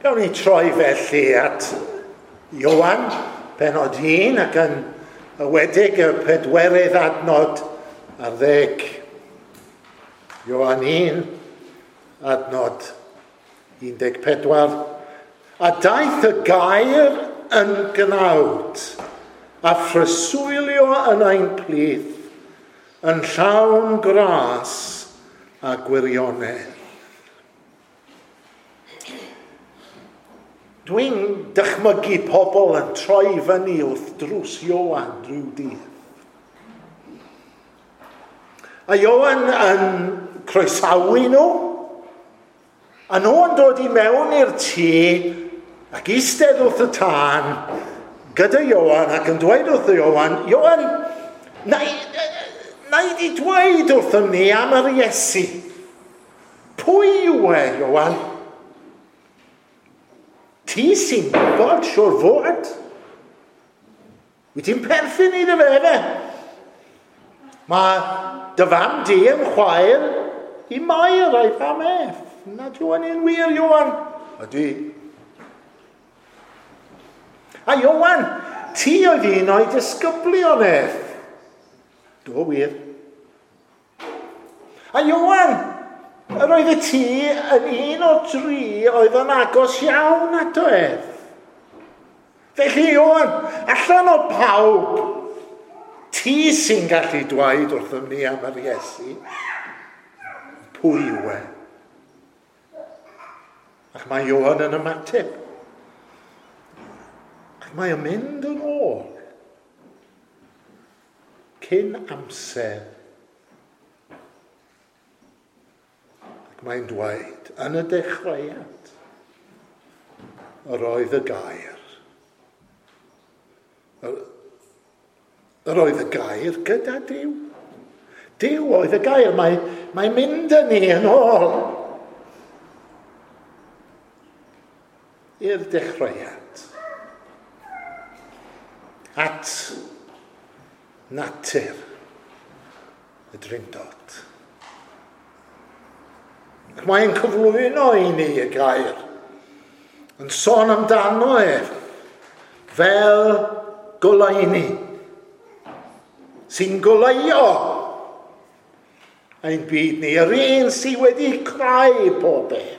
Gawn ni troi felly at Ioan, pennod 1, ac yn enwedig y pedwerydd adnod ar 10. Ioan 1, adnod 14. A daeth y gair yn gnawd a phreswylio yn ein plith, yn llawn gras a gwirionedd. Dwi'n dychmygu pobl yn troi fyny wrth drws Ioan rhyw dydd. A Ioan yn croesawu nhw, a nhw yn dod i mewn i'r tŷ ac eistedd wrth y tân gyda Ioan ac yn dweud wrth Ioan, Ioan, na i di dweud wrthym ni am yr Iesu. Pwy yw e, Ioan? Ti sy'n gwybod, siwr fod. Wyt ti'n perthyn iddo fe, efe? Mae dy fam di yn chwaer i Mair a'i fam ef. Nad yw hynny'n wir, Ioan? Ydy. A Ioan, ti oedd un o'i disgyblion ef. Do wir. A Ioan, yr oedd y ti yn un o'r dri oedd yn agos iawn ato ef. Felly Ioan, allan o pawb, ti sy'n gallu dweud wrthym ni am yr Iesu, pwy yw e? Ac mae Ioan yn ymateb. Ac mae o'n mynd yn ôl cyn amser. Ac mae'n dweud, yn y dechreuad, yr oedd y gair. Yr oedd y gair gyda Duw. Duw oedd y gair. Mae'n mynd â ni yn ôl i'r dechreuad. At natur y Drindod. Ac mae'n cyflwyno i ni y gair, yn sôn amdano ef fel goleuni, sy'n goleuo ein byd ni, yr un sydd wedi creu pob beth.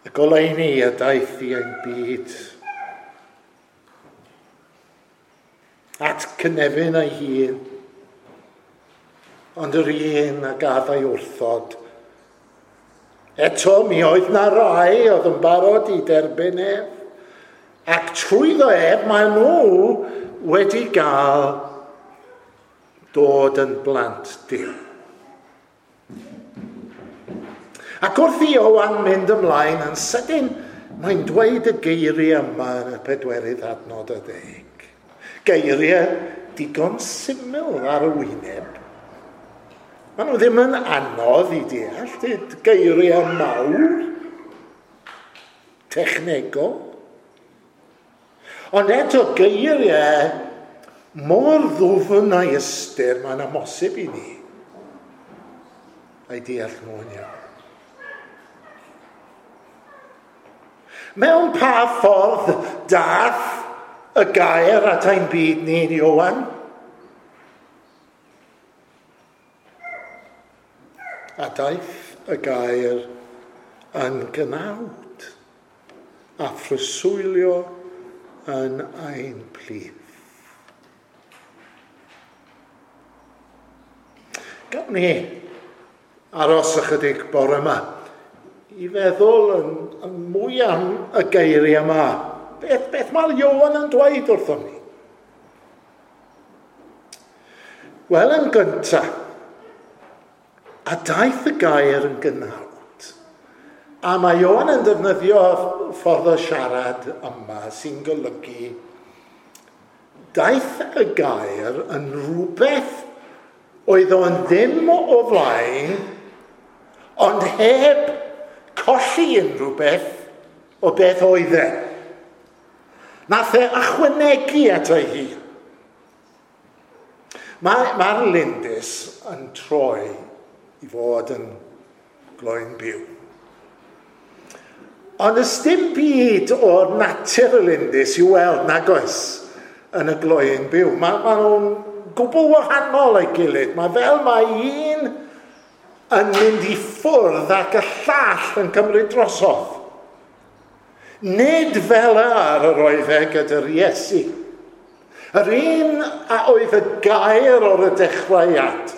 Y goleuni a daeth i ein byd at cynefin ei hun, ond yr un a gadd ei wrthod. Eto mi oedd na rai oedd yn barod i derbyn ef, ac trwyddo ef mae nhw wedi gael dod yn blant Duw. Ac wrth i Ioan mynd ymlaen yn sydyn, mae'n dweud y geiriau yma yn y pedwerydd adnod a 10. Geiriau digon syml ar y wyneb. Maen nhw ddim yn anodd i deall, geiriau mawr, technegol. Ond eto geiriau mor ddwfn a'i ystyr, mae'n amhosib i ni a'i deall nhw'n iawn. Mewn pa ffordd dath y gair at ein byd ni, Ioan? A daeth y gair yn gnawd a phreswylio yn ein plith. Gawn ni aros ychydig bore yma i feddwl yn mwy am y geiriau yma. Beth mae Ioan yn dweud wrthon ni? Wel, yn gyntaf, a daeth y gair yn gnawd. A mae Ioan yn defnyddio ffordd o siarad yma sy'n golygu daeth y gair yn rhywbeth oedd o'n ddim o flaen, ond heb colli unrhyw beth o beth oedd e. Nath e ychwanegu ato ei hun. Mae'r lindys yn troi i fod yn gloyn byw. Ond ys dim byd o'r natur y lindys i'w weld nag oes yn y gloyn byw. Mae nhw'n gwbl wahanol ei gilydd. Mae fel mae un yn mynd i ffwrdd ac y llall yn cymryd drosodd. Nid fel ar yr oedd e gyda'r Iesu. Yr un a oedd y gair o'r dechreuad,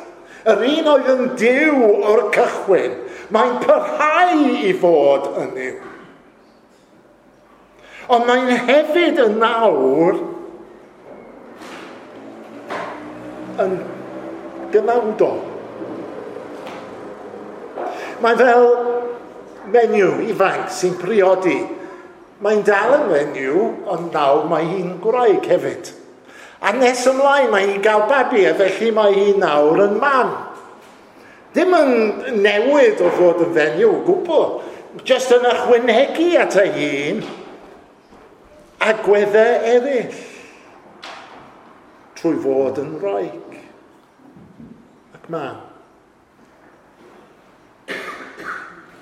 yr un oedd yn Duw o'r cychwyn, mae'n parhau i fod yn Dduw. Ond mae'n hefyd yn nawr yn gnawdol. Mae'n fel menyw ifanc sy'n priodi. Mae'n dal yn fenyw, ond nawr mae hi'n gwraig hefyd. A nes ymlaen mae hi'n gael babi, a felly mae hi nawr yn mam. Dim yn newid o fod yn fenyw o gwbl, jyst yn ychwanegu at ei hun agweddau eraill trwy fod yn wraig ac mam.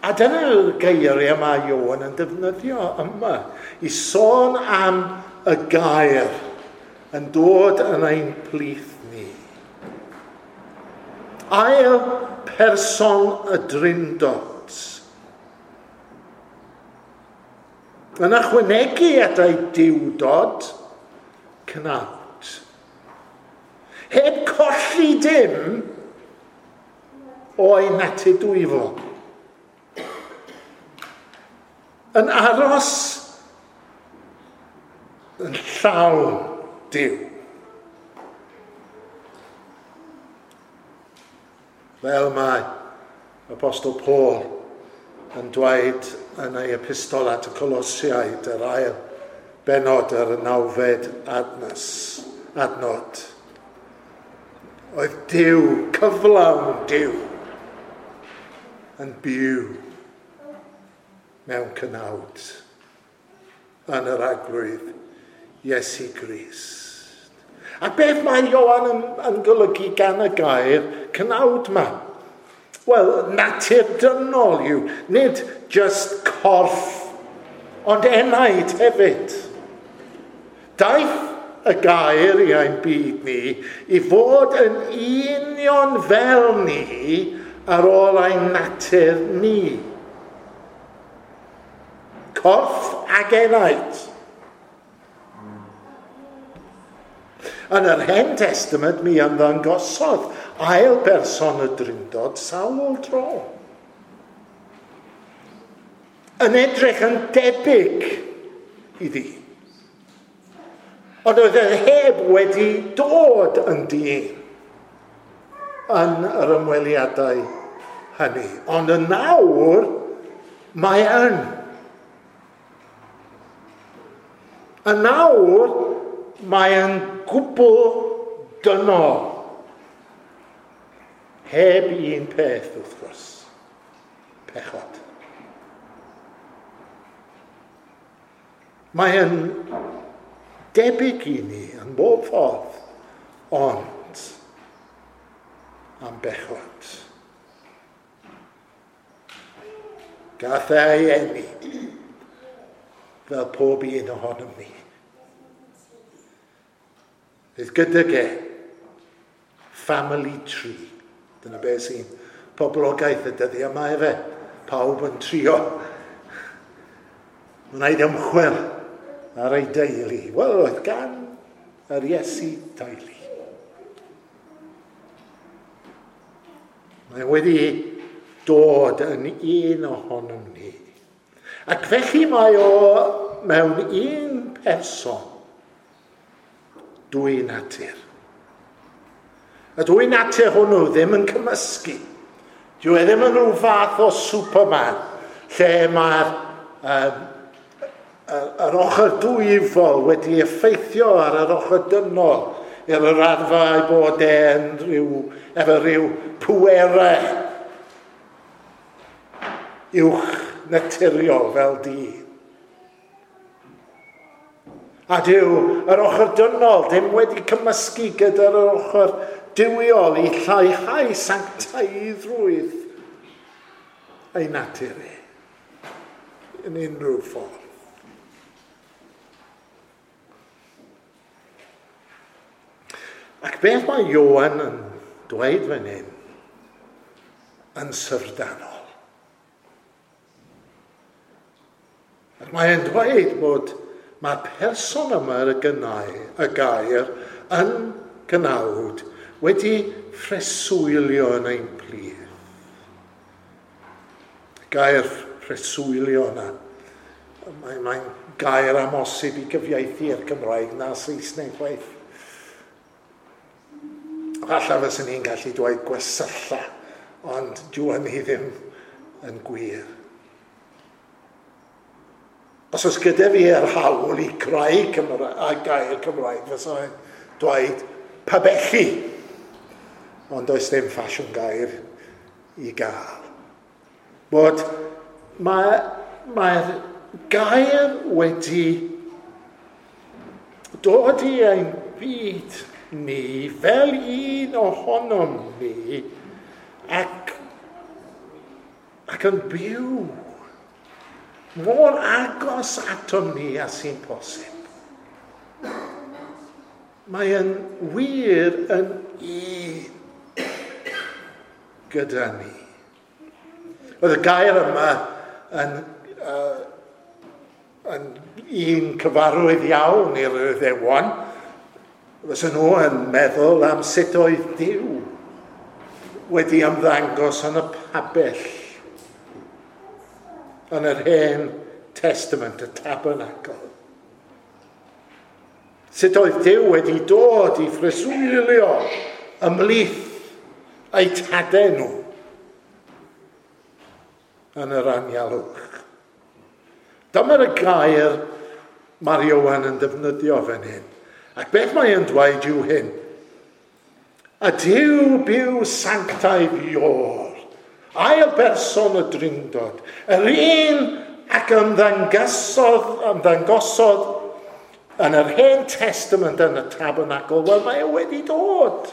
A dyna'r geiriau mae Ioan yn defnyddio yma i sôn am y gair yn dod yn ein plith ni. Ail person y Drindod. Yn ychwanegu at ei diwdod, cnawd. Heb colli dim o'i natur dwyfol. Yn aros yn llawn Duw. Fel mae Apostol Paul yn dweud yn ei epistol at y Colosiaid, yr ail bennod ar y 9fed adnod. Oedd Duw, cyflawn Duw, yn byw mewn cnawd yn yr Arglwydd Iesu Grist. A beth mae Ioan yn golygu gan y gair cnawd ma? Wel, natur dynol yw, nid just corff, ond enaid hefyd. Daeth y gair i ein byd ni i fod yn union fel ni ar ôl ein natur ni. Corff ag enaid. Yn yr Hen Testament mi ymddangosodd ail berson y Drindod sawl tro. Yn edrych yn debyg iddi. Ond oedd e heb wedi dod yn dyn yn yr ymweliadau hynny. Ond yn nawr mae yn. Yn nawr mae yn gwbl dynol. Heb un peth, wrth gwrs. Pechod. Mae yn debyg i ni yn bob ffordd, ond am bechod. Gath ei eni fel pob un ohonom ni. Fydd gydag e family tree. Dyna beth sy'n poblogaeth y dyddiau yma efe. Pawb yn trio wneud ymchwil ar ei deulu. Wel, oedd gan yr Iesu deulu. Mae wedi dod yn un ohonom ni. Ac felly mae o mewn un person dwy natur. Y dwy natur hwnnw ddim yn cymysgu. Dyw e ddim yn rhyw fath o Superman lle mae'r yr ochr dwyfol wedi effeithio ar yr ochr dynol i'r raddfa ei bod e'n rhyw, efo rhyw pwerau uwch naturiol fel dyn. A dyw yr ochr dynol ddim wedi cymysgu gyda'r ochr duwiol i lleihau sanctaiddrwydd ei natur e yn unrhyw ffordd. Ac beth mae Ioan yn dweud fan hyn yn syfrdanol. Ac mae'n dweud bod mae'r person yma y gynnau, y gair yn gnawd wedi phreswylio yn ein plith. Y gair phreswylio yna, mae'n gair amhosib i gyfieithu i'r Cymraeg na Saesneg chwaith. Falle fyswn ni'n gallu dweud gwersylla, ond dyw hynny ddim yn gwir. Os oes gyda fi yr hawl i creu a gair Cymraeg, fyswn i'n dweud pabellu. Ond does ddim ffasiwn gair i gael. Bod mae'r gair wedi dod i ein byd ni fel un ohonom ni ac yn byw mor agos atom ni a sy'n posib. Mae yn wir yn un gyda ni. Oedd y gair yma yn un cyfarwydd iawn i'r Iddewon. Fysa nhw yn meddwl am sut oedd Duw wedi ymddangos yn y pabell yn yr Hen Testament, y Tabernacl. Sut oedd Duw wedi dod i phreswylio ymhlith eu tadau nhw yn yr anialwch. Dyma'r gair mae'r Ioan yn defnyddio fan hyn. Ac beth mae'n dweud yw hyn? A Duw byw sanctaidd Ior, ail berson y Drindod, yr un ac ymddangosodd yn yr Hen Testament yn y Tabernacl, wel mae e wedi dod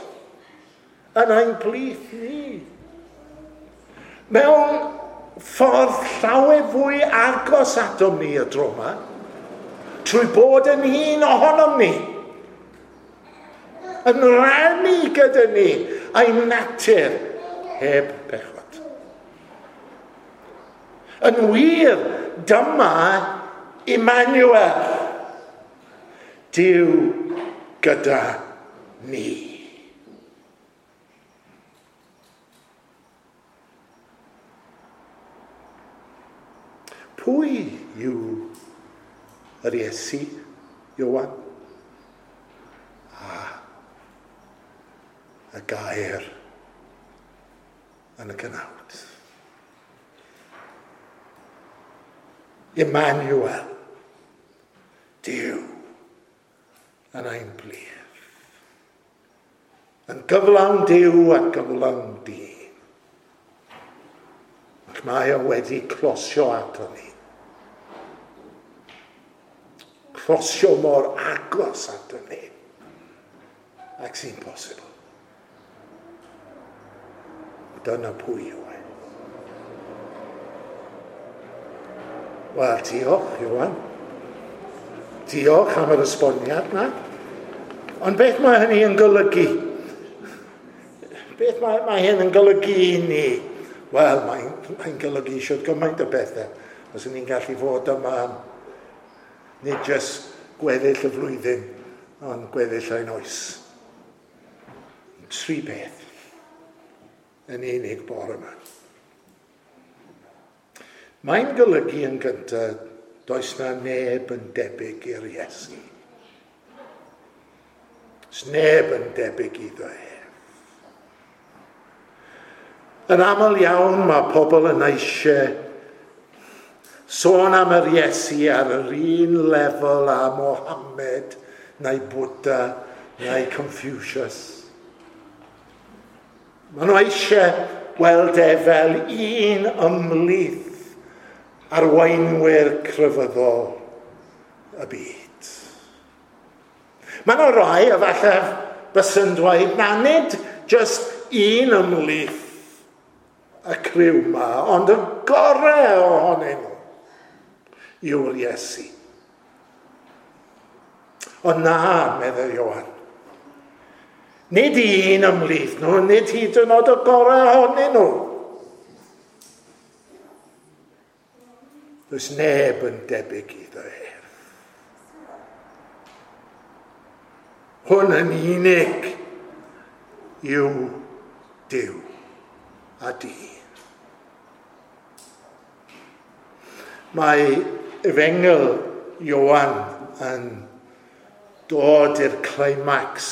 yn ein plith ni. Mewn ffordd llawer fwy agos atom ni y tro yma, trwy bod yn un ohonom ni, yn rhannu gyda ni ein natur heb bechod. Yn wir, dyma Emmanuel, Duw gyda ni. Pwy yw yr Iesu, Ioan? A y gair yn y cnawd. Emmanuel, Duw yn ein plith. Yn gyflawn Duw a gyflawn dyn. Ac mae o wedi closio ato ni. Closio mor agos ato ni ac sy'n posibl. Dyna pwy yw e. Wel, diolch, Ioan. Diolch am yr esboniad na. Ond beth mae hynny yn golygu? Beth mae hyn yn golygu i ni? Wel, mae'n golygu siwt gymaint o bethau. Os ni'n gallu fod yma, nid jyst gweddill y flwyddyn, ond gweddill ein oes. Tri beth yn unig bore yma. Mae'n golygu yn gyntaf, does na neb yn debyg i'r Iesu. Does neb yn debyg iddo ef. Yn aml iawn mae pobl yn eisiau sôn am yr Iesu ar yr un lefel â Mohammed, neu Buddha, neu Confucius. Maen nhw eisiau gweld e fel un ymhlith arweinwyr crefyddol y byd. Mae yna rai, efallai, bys yn dweud, na nid just un ymhlith y criw yma, ond y gorau ohonyn nhw yw'r Iesu. Ond na, meddai Ioan, nid un ymhlith nhw, nid hyd yn oed y gorau ohonyn nhw. Does neb yn debyg iddo ef. Hwn yn unig yw Duw a dyn. Mae Efengyl Ioan yn dod i'r climax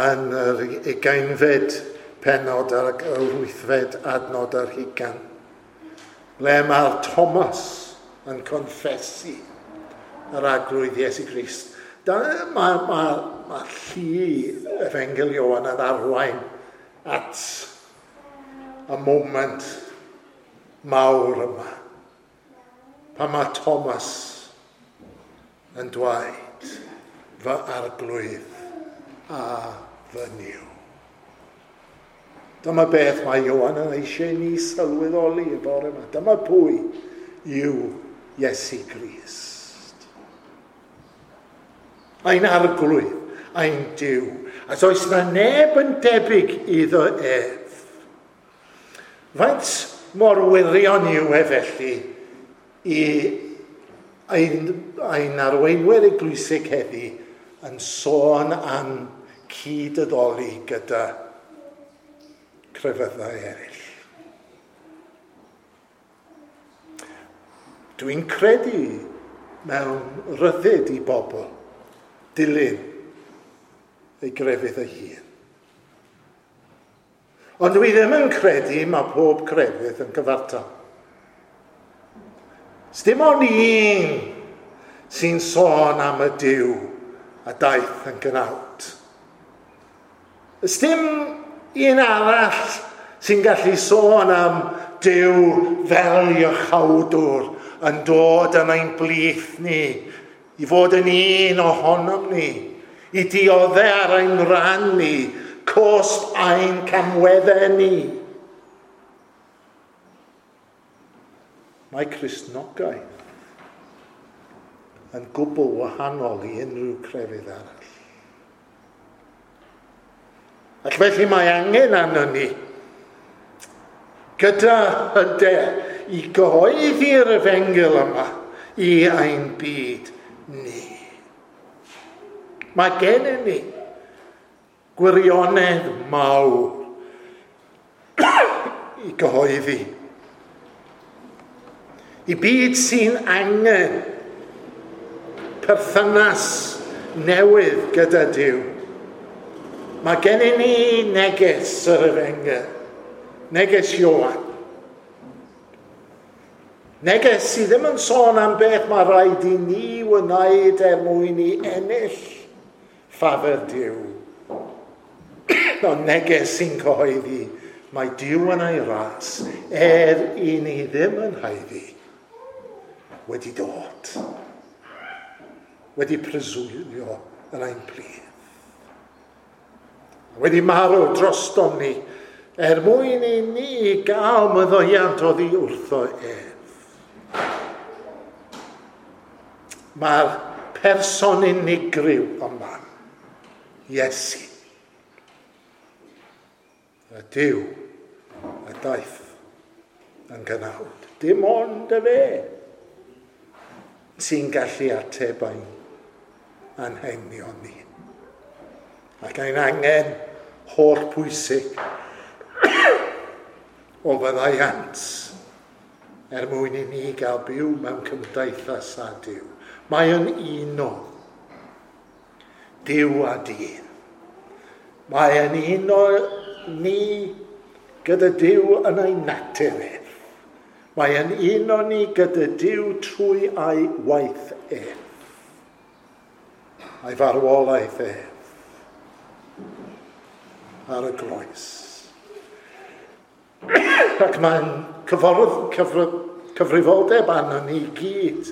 yn yr 20fed pennod a'r 8fed adnod ar hugain, ble mae'r Thomas yn confesu yr Arglwydd Iesu Grist. Mae llu Efengyl Ioan yn arwain at y moment mawr yma, pan mae Thomas yn dweud, fy Arglwydd a fy Nuw. Dyma beth mae Ioan yn eisiau ni sylweddoli y bore yma. Dyma pwy yw Iesu Grist. Ein Arglwydd, ein Duw. A does na neb yn debyg iddo ef. Faint mor wirion yw e felly i ein arweinwyr eglwysig heddi yn sôn am cyd-addoli gyda crefyddau eraill. Dwi'n credu mewn rhyddid i bobl dilyn ei grefydd ei hun. Ond dwi ddim yn credu mae pob crefydd yn gyfartal. Sdim ond un sy'n sôn am y Duw a daeth yn gnawd. Sdim un arall sy'n gallu sôn am Duw fel iachawdwr yn dod yn ein blith ni, i fod yn un ohonom ni, i dioddef ar ein rhan ni, cost ein camweddau ni. Mae Cristnogaeth yn gwbl wahanol i unrhyw crefydd arall. Ac felly mae angen arno ni gyda hyder i gyhoeddi'r efengyl yma i ein byd ni. Mae gennym ni gwirionedd mawr i gyhoeddi. I byd sy'n angen perthynas newydd gyda Duw. Mae gennym ni neges yr efengyl, neges Ioan. Neges sydd ddim yn sôn am beth mae rhaid i ni wneud er mwyn i ennill ffafr Duw. Ond neges sy'n cyhoeddi mae Duw yn ei ras, er i ni ddim yn haeddu, wedi dod, wedi preswylio yn ein plith, wedi marw drostom ni, er mwyn i ni gael maddeuant oddi wrtho ef. Mae'r person unigryw yma, Iesu, y Duw a daeth yn gnawd. Dim ond y fe sy'n gallu ateb ein anghenion ni. Ac ein angen holl pwysig o faddeuant er mwyn i ni gael byw mewn cymdeithas â Duw. Mae yn uno Duw a dyn. Mae yn uno ni gyda Duw yn ei natur ef. Mae yn uno ni gyda Duw trwy ei waith ef. Ei farwolaeth ef ar y groes. Ac mae'n cyfrifoldeb arno ni gyd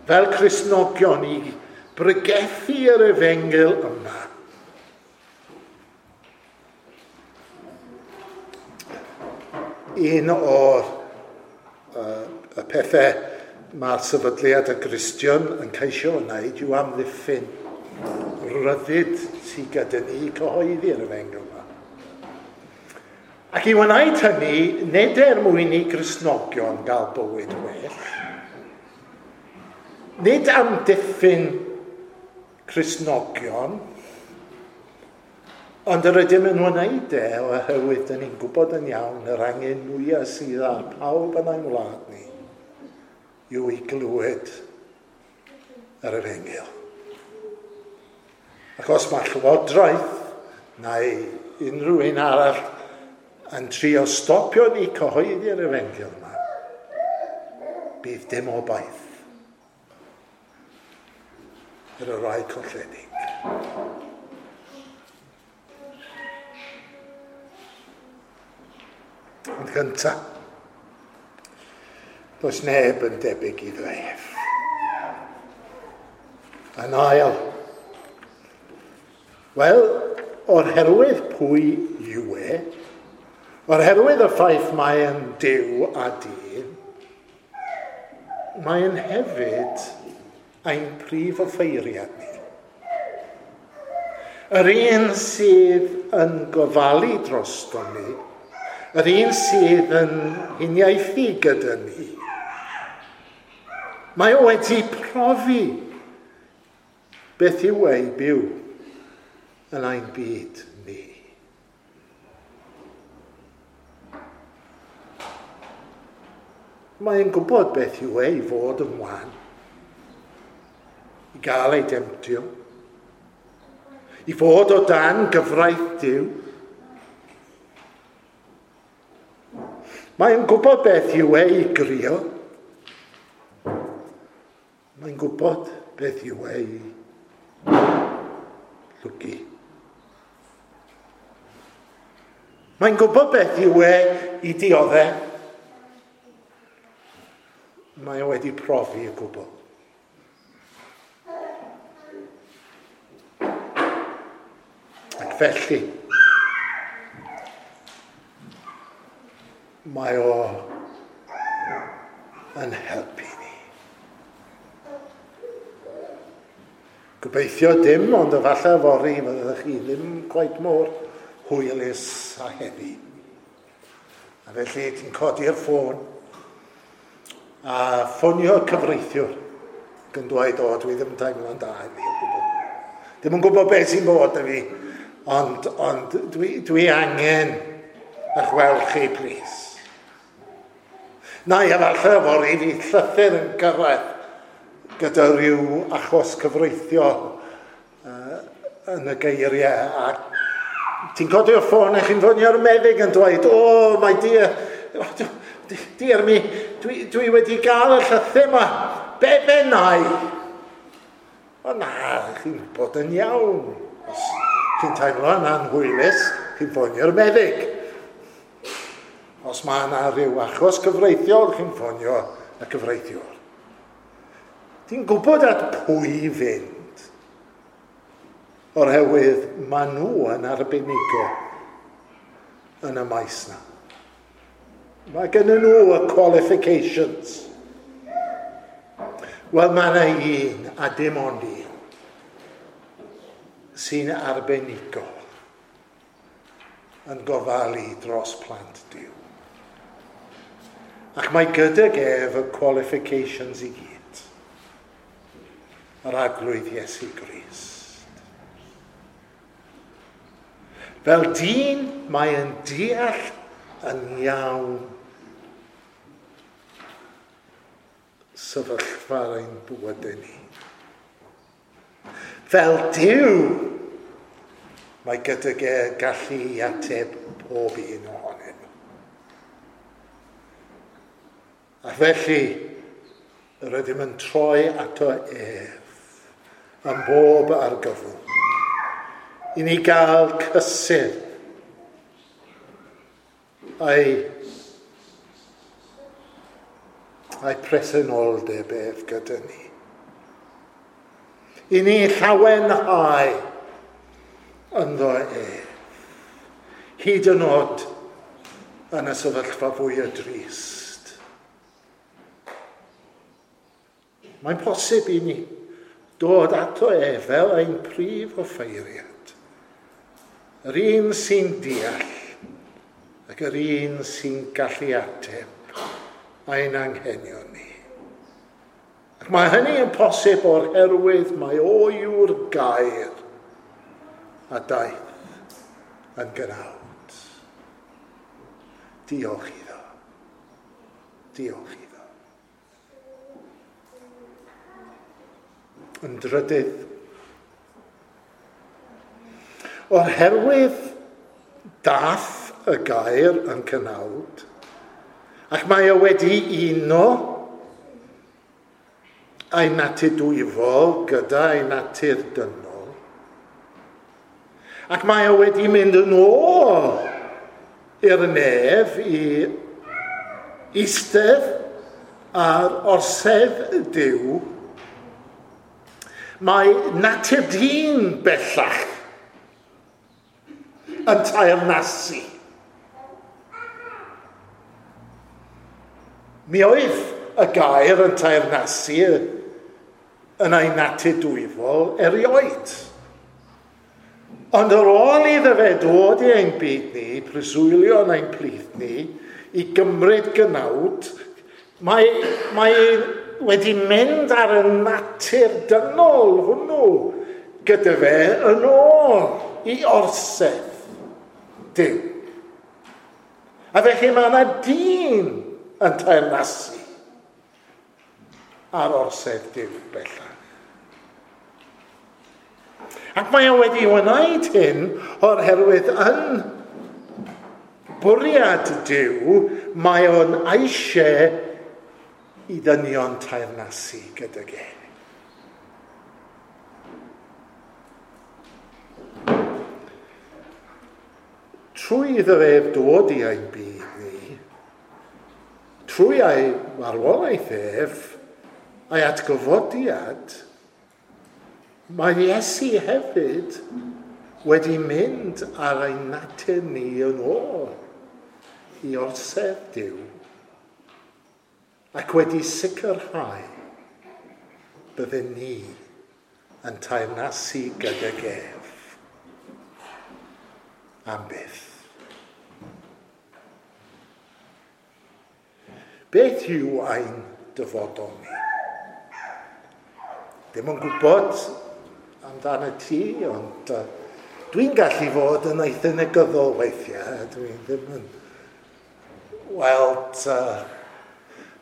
fel Cristnogion i bregethu yr efengyl yma. un o'r y pethau mae'r sefydliad y Gristion yn ceisio wneud yw amddiffyn rhyddid sydd gyda ni i cyhoeddi'r efengyl yma. Ac i wneud hynny, nid er mwyn i Gristnogion gael bywyd well, nid amddiffyn Cristnogion, ond yr ydym yn wneud e oherwydd dyn ni'n gwybod yn iawn yr angen mwyaf sydd ar pawb yn ein wlad ni yw i glywed yr efengyl. Ac os mae llywodraeth neu unrhyw un arall yn trio stopio ni cyhoeddi'r efengyl yma, bydd dim obaith i'r rhai colledig. Ond gyntaf, does neb yn debyg iddo ef. Yn ail, wel, o'r herwydd pwy yw e, o'r herwydd y ffaith mae yn Duw a dyn, mae'n hefyd ein prif offeiriad ni. Yr un sydd yn gofalu drosto ni, yr un sydd yn uniaethu gyda ni, mae o wedi profi beth yw ei byw yn ein byd ni. Mae'n gwybod beth yw ei fod yn wan, i gael ei demtio, i fod o dan gyfraith Duw. Mae'n gwybod beth yw ei grio. Mae'n gwybod beth yw ei llwgu. Mae'n gwybod beth yw e i dioddef. Mae o wedi profi y gwbl. Ac felly, mae o yn helpu ni. Gobeithio dim, ond efallai fory fyddwch chi ddim quite mor hwylus a heddi. A felly ti'n codi'r ffôn a ffonio cyfreithiwr gan dweud, o, dwi ddim yn teimlo'n da heddi o gwbl. Ddim yn gwybod beth sy'n bod na fi, ond dwi angen eich weld chi, plis. Na, efallai fory fydd llythyr yn gyrraedd gyda rhyw achos cyfreithiol yn y geiriau. A ti'n codi'r ffôn a chi'n ffonio'r meddyg yn dweud, o, my dear, dear me, dwi wedi gael y llythyr yma, be bennau? O na, chi'n bod yn iawn. Os chi'n teimlo yn anhwylus, chi'n ffonio'r meddyg. Os mae yna rhyw achos cyfreithiol, chi'n ffonio y cyfreithiwr. Ti'n gwybod at pwy fynd, oherwydd maen nhw yn arbenigo yn y maes na. Mae gen nhw y qualifications. Wel, mae yna un, a dim ond un, sy'n arbenigol yn gofalu dros plant Duw. Ac mae gydag ef y qualifications i gyd. Yr Arglwydd Iesu Grist. Fel dyn, mae yn deall yn iawn sefyllfa ein bywydau ni. Fel Duw, mae gydag e gallu i ateb pob un ohonyn nhw. A felly, rydym yn troi ato ef yn bob argyfwng, i ni gael cysur a'i presenoldeb ef gyda ni. I ni llawenhau ynddo ef, hyd yn oed yn y sefyllfa fwy o drist. Mae'n posib i ni dod ato e fel ein prif offeiriad. Yr un sy'n deall ac yr un sy'n gallu ateb ein anghenion ni. Ac mae hynny yn posib o'r herwydd mae o yw'r gair a daeth yn gnawd. Diolch iddo. Diolch iddo. Yn drydydd, o'r herwydd dath y gair yn cynawd, ac mae o wedi uno a'i natur dwyfol gyda ei natur dynol, ac mae o wedi mynd yn ôl i'r nef i eistedd ar orsedd Duw. Mae natur dyn bellach yn teyrnasu. Mi oedd y gair yn teyrnasu yn ei natur dwyfol erioed. Ond ar ôl iddo fe dod i ein byd ni, preswylio yn ein plith ni, i gymryd gnawd, mae wedi mynd ar y natur dynol hwnnw gyda fe yn ôl i orsedd Duw. A felly mae yna dyn yn teyrnasu ar orsedd Duw bellach. Ac mae o wedi wneud hyn o'r herwydd yn bwriad Duw, mae o'n eisiau i ddynion teyrnasu gydag e. Trwy iddo ef dod i ein byd ni, trwy ei marwolaeth ef, a'i atgyfodiad, mae Iesu hefyd wedi mynd ar ein natur ni yn ôl i orsedd Duw ac wedi sicrhau bydden ni yn teyrnasu gydag ef am byth. Beth yw ein dyfodol ni? Ddim yn gwybod amdano ti, ond dwi'n gallu fod yn eitha negyddol weithiau. Dwi ddim yn weld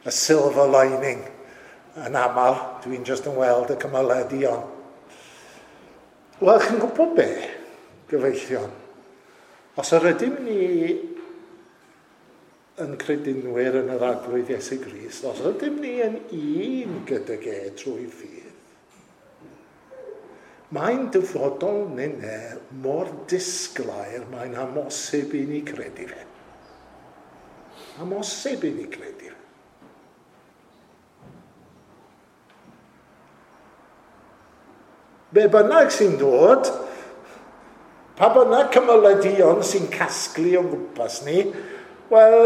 y silver lining yn aml. Dwi'n just yn weld y cymylau duon. Wel, chi'n gwybod be, gyfeillion? Os yr ydym ni yn credinwyr yn yr Arglwydd Iesu Grist, os ydym ni yn un gydag e trwy ffydd, mae'n dyfodol nynne mor disglair, mae'n amhosib i ni credu fe. Amhosib i ni credu fe. Be bynnag sy'n dod, pa bynnag cymylau sy'n casglu o'n gwmpas ni, wel,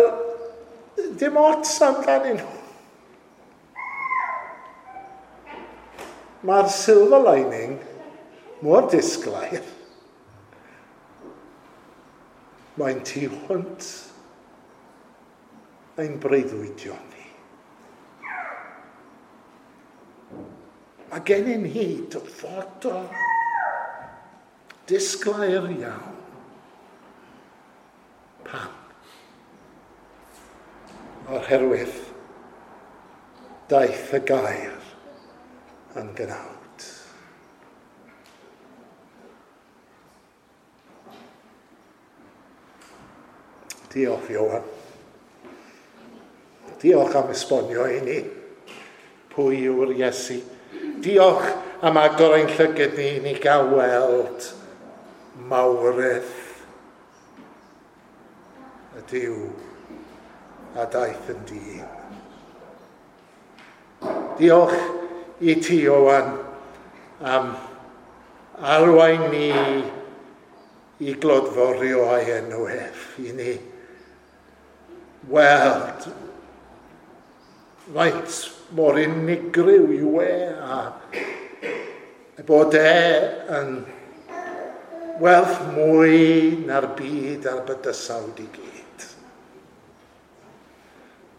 dim ots amdanyn nhw. Mae'r silver lining mor disglair. Mae'n tu hwnt ein breuddwydion ni. Mae gennym ni dyfodol disglair iawn. Pam? Oherwydd daeth y gair yn gnawd. Diolch, Ioan. Diolch am esbonio i ni pwy yw'r Iesu. Diolch am agor ein llygad ni i ni gael weld mawredd y Duw a daeth yn dyn. Diolch i ti, Ioan, am arwain ni i glodforio ei enw ef, i ni weld faint mor unigryw yw e a bod e yn werth mwy na'r byd a'r bydysawd i gyd.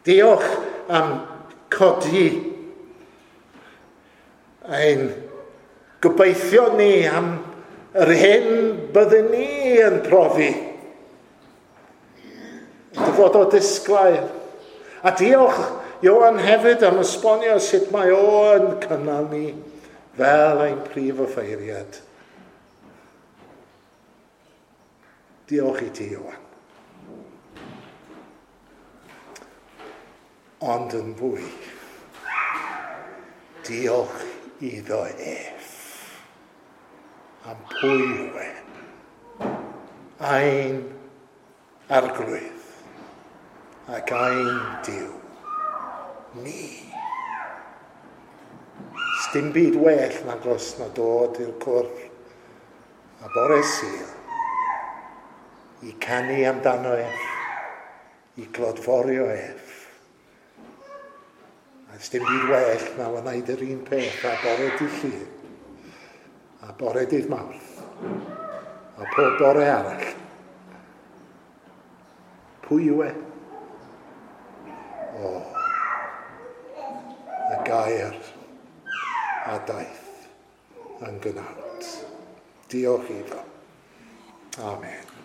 Diolch am codi ein gobeithio ni am yr hyn byddwn ni yn profi. Dyfodol disglair. A diolch Ioan hefyd am esbonio sut mae o yn cynnal ni fel ein prif offeiriad. Diolch i ti, Ioan. Ond yn fwy, diolch iddo ef am pwy yw e. Ein arglwydd ac ein Duw. Ni. Sdim byd well nagos na dod i'r cwrdd a bore Sul i canu amdano ef, i glodforio ef. A sdim byd well na wneud yr un peth a bore dydd Llun, a bore dydd Mawrth, a pob bore arall. Pwy yw e? O, y gair a daeth yn gnawd. Diolch iddo. Amen.